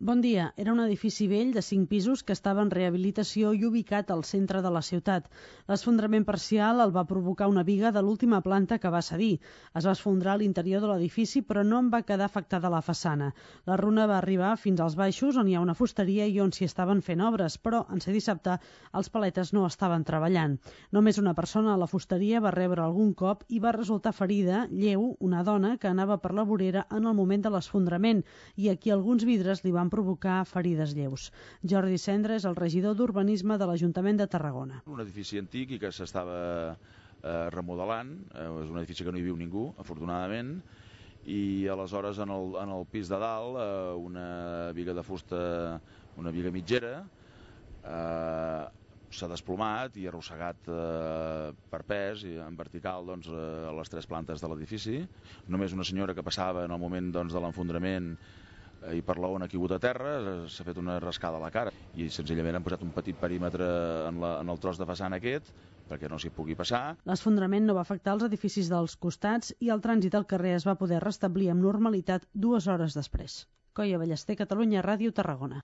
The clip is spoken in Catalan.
Bon dia. Era un edifici vell de 5 pisos que estava en rehabilitació i ubicat al centre de la ciutat. L'esfondrament parcial el va provocar una biga de l'última planta que va cedir. Es va esfondrar a l'interior de l'edifici, però no en va quedar afectada la façana. La runa va arribar fins als baixos, on hi ha una fusteria i on s'hi estaven fent obres, però en ser dissabte els paletes no estaven treballant. Només una persona a la fusteria va rebre algun cop i va resultar ferida, lleu, una dona que anava per la vorera en el moment de l'esfondrament i a qui alguns vidres li van provocar ferides lleus. Jordi Cendra és el regidor d'Urbanisme de l'Ajuntament de Tarragona. Un edifici antic i que s'estava remodelant, és un edifici que no hi viu ningú, afortunadament, i aleshores en el pis de dalt una biga de fusta, una biga mitgera, s'ha desplomat i arrossegat per pes i en vertical a les 3 plantes de l'edifici. Només una senyora que passava en el moment de l'enfondrament i per la on ha caigut a terra s'ha fet una rascada a la cara i senzillament han posat un petit perímetre en el tros de façana aquest perquè no s'hi pugui passar. L'esfondrament no va afectar els edificis dels costats i el trànsit al carrer es va poder restablir amb normalitat 2 hores després. Coia Ballester, Catalunya Ràdio, Tarragona.